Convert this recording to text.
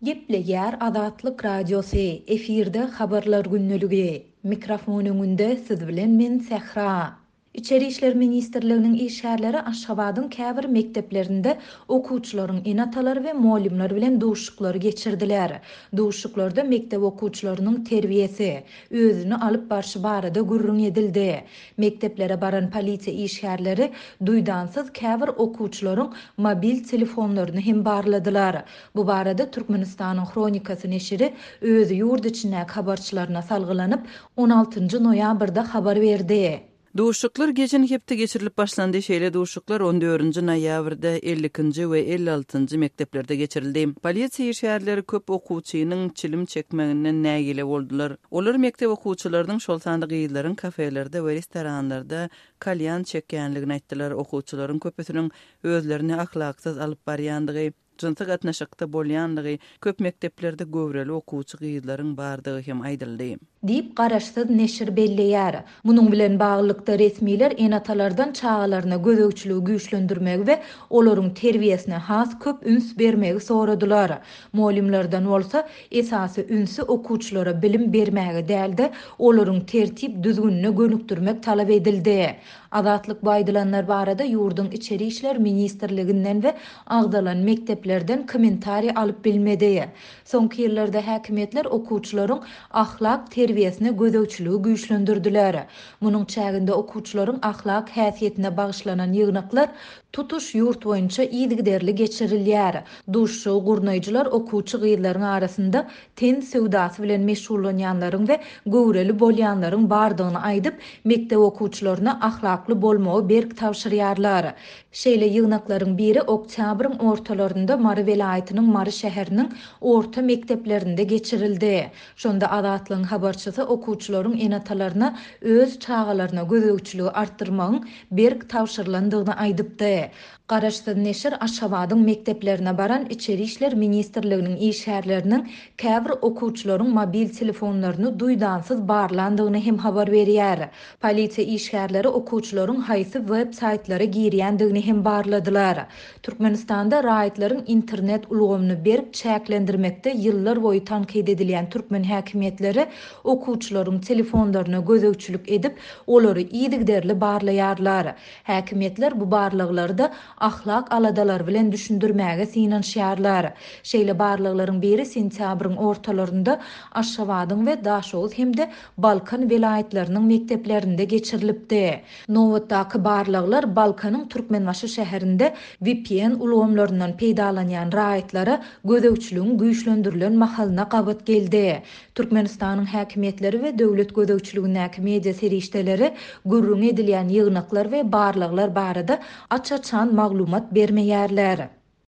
Gepleýär Azatlyk Radiosy, efirde Habarlar gündeligi. Mikrofon öňünde siz bilen men Sähra. Içeri işler ministrliginiň işgärleri Aşgabadyň käbir mekdeplerinde okuwçylaryň ene-atalary we mugallymlar bilen duşuşyklary geçirdiler. Duşuşyklarda mekdep okuwçylarynyň terbiýesi, özüni alyp barşy barada gürrüň edildi. Mekdeplere baran polisiýa işgärleri duýdansyz käbir okuwçylaryň mobil telefonlaryny hem barladylar. Bu barada Türkmenistanyň Hronikasy neşiri öz ýurt içindäki habarçylaryna salgylanyp, on altynjy noýabrda habar berdi. Duşuşyklar geçen hepde geçirilip başlandy, şeýle duşuşyklar on dördünji noýabrda ellikinji we 56-njy mekdeplerde geçirildi. Polisiýa işgärleri köp okuwçynyň çilim çekmeginden nägile boldular. Olar mekdep okuwçylarynyň, şol sanda gyzlaryň kafelerde we restoranlarda kalýan çekýänligini aýtdylar, okuwçylaryň köpüsiniň özlerini ahlaksyz alyp barýandygy, jynsy gatnaşykda bolýandygy, köp mekdeplerde göwreli okuwçy gyzlaryň bardygy hem aýdyldy. Diýip, garaşsyz neşir belleýär. Munuň bilen baglylykda, resmiler ene-atalardan çagalaryna gözegçiligi güýçlendirmegi we olaryň terbiýesine has köp üns bermegi soradylar. Mugallymlardan bolsa, esasy ünsi okuwçylara bilim bermäge däl-de, olaryň tertip-düzgünine gönükdirmek talap edildi. Azatlyk bu aýdylanlar barada ýurduň Içeri işler ministrliginden we agzalan mekdeplerden kommentariý alyp bilmedi. Soňky ýyllarda häkimiýetler okuwçylaryň ahlak terbiýesine gözegçiligi güýçlendirdiler. Munuň çäginde okuwçylaryň ahlak häsiýetine bagyşlanan ýygnaklar tutuş ýurt boýunça yzygiderli geçirilýär. Duşuşygy gurnaýjylar okuwçy gyzlaryň arasynda ten söwdasy bilen meşgullanýanlaryň we göwreli bolýanlaryň bardygyny aýdyp, mekdep okuwçylaryna ahlakly bolmagy berk tabşyrýarlar. Şeýle ýygnaklaryň biri oktýabryň ortalarynda Mary welaýatynyň Mary şäheriniň orta mekdeplerinde geçirildi. Şonda Azatlygyň habarçysy okuwçylaryň ene-atalaryna öz çagalaryna gözegçiligi artdyrmagyň berk tabşyrylandygyny aýdypdy. Garaşsyz neşir Aşgabadyň mekdeplerine baran Içeri işler ministrliginiň işgärleriniň käbir okuwçylaryň mobil telefonlaryny duýdansyz barlandygyny hem habar berýär. Polisiýa işgärleri okuwçylaryň haýsy web saýtlara girýändigini hem barladylar. Türkmenistanda raýatlaryň internet ulgamyny berk çäklendirmekde ýyllar boýy tankyt edilýän türkmen häkimiýetleri okuwçylaryň telefonlaryna gözegçilik edip, olary yzygiderli barlaýarlar. Häkimiýetler bu barlaglary-da ahlak aladalary bilen düşündirmäge synanyşýarlar. Şeýle barlaglaryň biri sentýabryň ortalarynda Aşgabadyň we Daşoguz hem-de Balkan welaýatlarynyň mekdeplerinde geçirilipdi. Nobatdaky barlaglar Balkanyň Türkmenbaşy şäherinde vpn ulgamlaryndan peýdalanýan raýatlara gözegçiligiň güýçlendirilen mahalyna gabat geldi. Türkmenistanyň häkimiýetleri we döwlet gözegçiligindäki media serişdeleri gürrüňi edilýän ýygnaklar we barlaglar barada aç-açan maglumat bermeýärler.